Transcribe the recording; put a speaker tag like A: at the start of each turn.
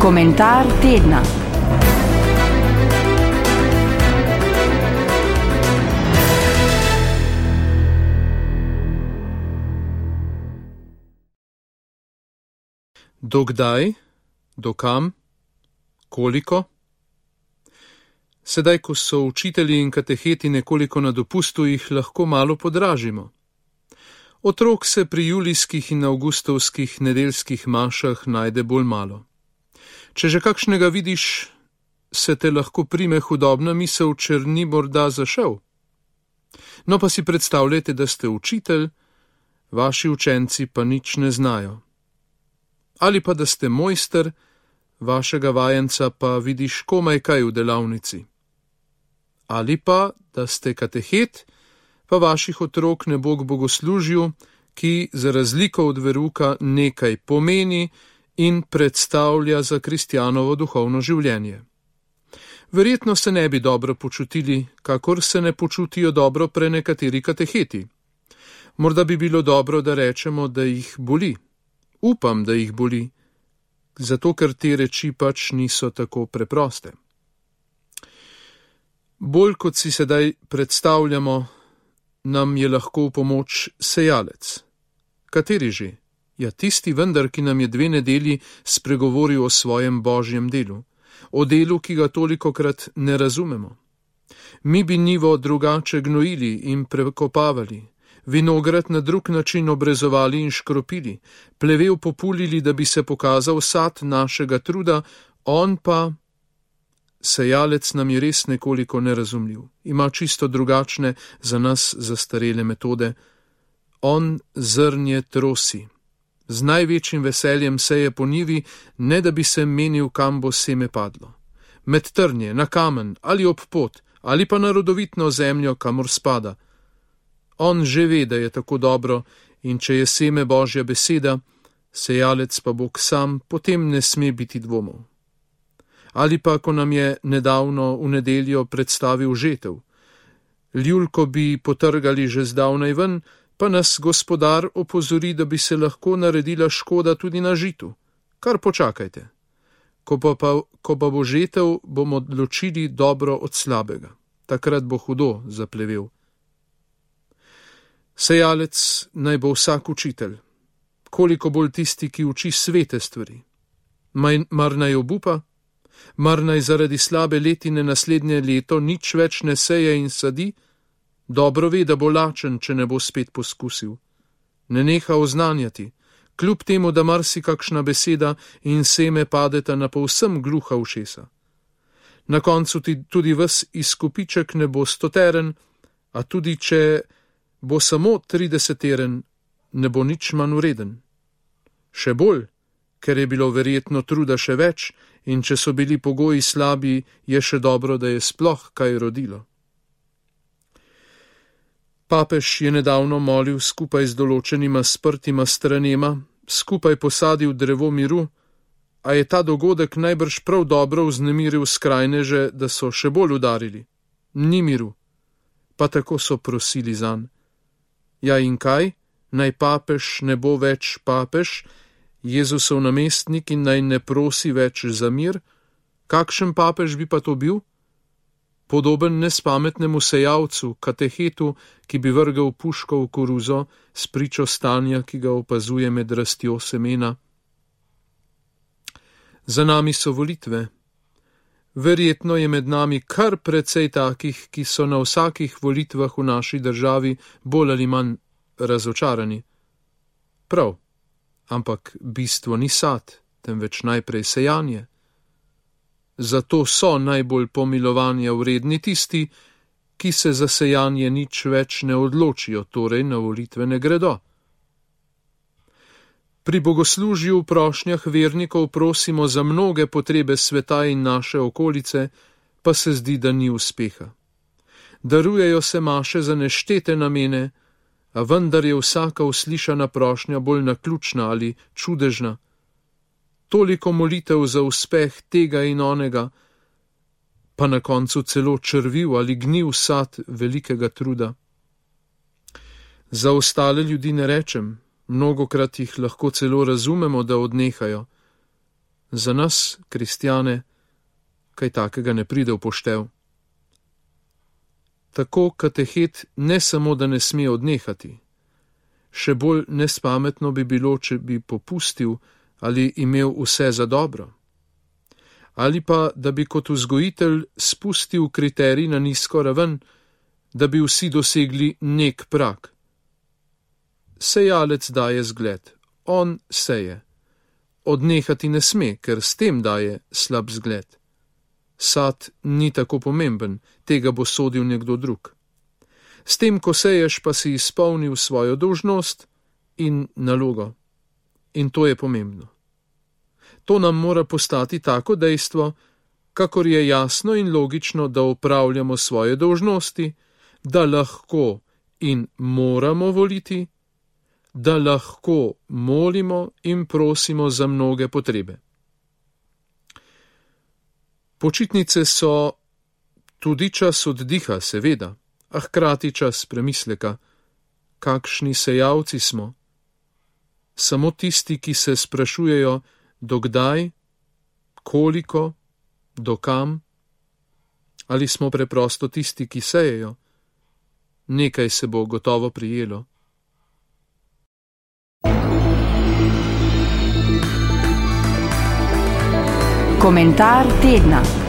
A: Komentar tedna.
B: Do kdaj, do kam, koliko? Sedaj, ko so učitelji in kateheti nekoliko na dopustu, jih lahko malo podražimo. Otrok se pri julijskih in avgustovskih nedeljskih mašah najde bolj malo. Če že kakšnega vidiš, se te lahko prime hudobna misel, če ni morda zašel. No pa si predstavljajte, da ste učitelj, vaši učenci pa nič ne znajo. Ali pa da ste mojster, vašega vajenca pa vidiš komaj kaj v delavnici. Ali pa da ste katehet, pa vaših otrok ne bo k bogoslužju, ki za razliko od veruka nekaj pomeni in predstavlja za kristjanovo duhovno življenje. Verjetno se ne bi dobro počutili, kakor se ne počutijo dobro prenekateri kateheti. Morda bi bilo dobro, da rečemo, da jih boli. Upam, da jih boli, zato ker te reči pač niso tako preproste. Bolj kot si sedaj predstavljamo, nam je lahko v pomoč sejalec. Kateri že? Ja, tisti vendar, ki nam je 2 nedelji spregovoril o svojem božjem delu, o delu, ki ga tolikokrat ne razumemo. Mi bi njivo drugače gnojili in prekopavali, vinograd na drug način obrezovali in škropili, plevel populili, da bi se pokazal sad našega truda, on pa, sejalec nam je res nekoliko nerazumljiv, ima čisto drugačne za nas zastarele metode. On zrnje trosi, z največjim veseljem seje po njivi, ne da bi se menil, kam bo seme padlo. Med trnje, na kamen ali ob pot, ali pa na rodovitno zemljo, kamor spada. On že ve, da je tako dobro, in če je seme Božja beseda, sejalec pa Bog sam, potem ne sme biti dvomov. Ali pa, ko nam je nedavno v nedeljo predstavil žetev. Ljulko bi potrgali že zdavnaj ven, pa nas gospodar opozori, da bi se lahko naredila škoda tudi na žitu. Kar počakajte. Ko pa bo žetev, bomo ločili dobro od slabega. Takrat bo hudo zaplevel. Sejalec naj bo vsak učitelj, koliko bolj tisti, ki uči svete stvari. Mar naj obupa? Mar naj zaradi slabe letine naslednje leto nič več ne seje in sadi? Dobro ve, da bo lačen, če ne bo spet poskusil. Ne neha oznanjati, kljub temu, da marsikakšna beseda in seme padeta na povsem gluha ušesa. Na koncu tudi ves izkupiček ne bo 100-teren, a tudi če bo samo 30-teren, ne bo nič manj vreden. Še bolj, ker je bilo verjetno truda še več, in če so bili pogoji slabi, je še dobro, da je sploh kaj rodilo. Papež je nedavno molil skupaj z določenima sprtima stranema, skupaj posadil drevo miru, a je ta dogodek najbrž prav dobro vznemiril skrajneže, da so še bolj udarili. Ni miru, pa tako so prosili zanj. Ja in kaj? Naj papež ne bo več papež, Jezusov namestnik in naj ne prosi več za mir? Kakšen papež bi pa to bil? Podoben nespametnemu sejalcu, katehetu, ki bi vrgel puško v koruzo s pričo stanja, ki ga opazuje med rastjo semena. Za nami so volitve. Verjetno je med nami kar precej takih, ki so na vsakih volitvah v naši državi bolj ali manj razočarani. Prav, ampak bistvo ni sad, temveč najprej sejanje. Zato so najbolj pomilovanja vredni tisti, ki se za sejanje nič več ne odločijo, torej na volitve ne gredo. Pri bogoslužju v prošnjah vernikov prosimo za mnoge potrebe sveta in naše okolice, pa se zdi, da ni uspeha. Darujejo se maše za neštete namene, a vendar je vsaka uslišana prošnja bolj naključna ali čudežna. Toliko molitev za uspeh tega in onega, pa na koncu celo črviv ali gnil sad velikega truda. Za ostale ljudi ne rečem, mnogokrat jih lahko celo razumemo, da odnehajo. Za nas, kristjane, kaj takega ne pride v poštev. Tako katehet ne samo, da ne sme odnehati. Še bolj nespametno bi bilo, če bi popustil ali imel vse za dobro. Ali pa, da bi kot vzgojitelj spustil kriterij na nizko raven, da bi vsi dosegli nek prag. Sejalec daje zgled, on seje. Odnehati ne sme, ker s tem daje slab zgled. Sad ni tako pomemben, tega bo sodil nekdo drug. S tem, ko seješ, pa si izpolnil svojo dolžnost in nalogo. In to je pomembno. To nam mora postati tako dejstvo, kakor je jasno in logično, da opravljamo svoje dolžnosti, da lahko in moramo voliti, da lahko molimo in prosimo za mnoge potrebe. Počitnice so tudi čas oddiha, seveda, a hkrati čas premisleka, kakšni sejalci smo. Samo tisti, ki se sprašujejo, dokdaj, koliko, dokam, ali smo preprosto tisti, ki sejejo. Nekaj se bo gotovo prijelo.
A: Komentar tedna.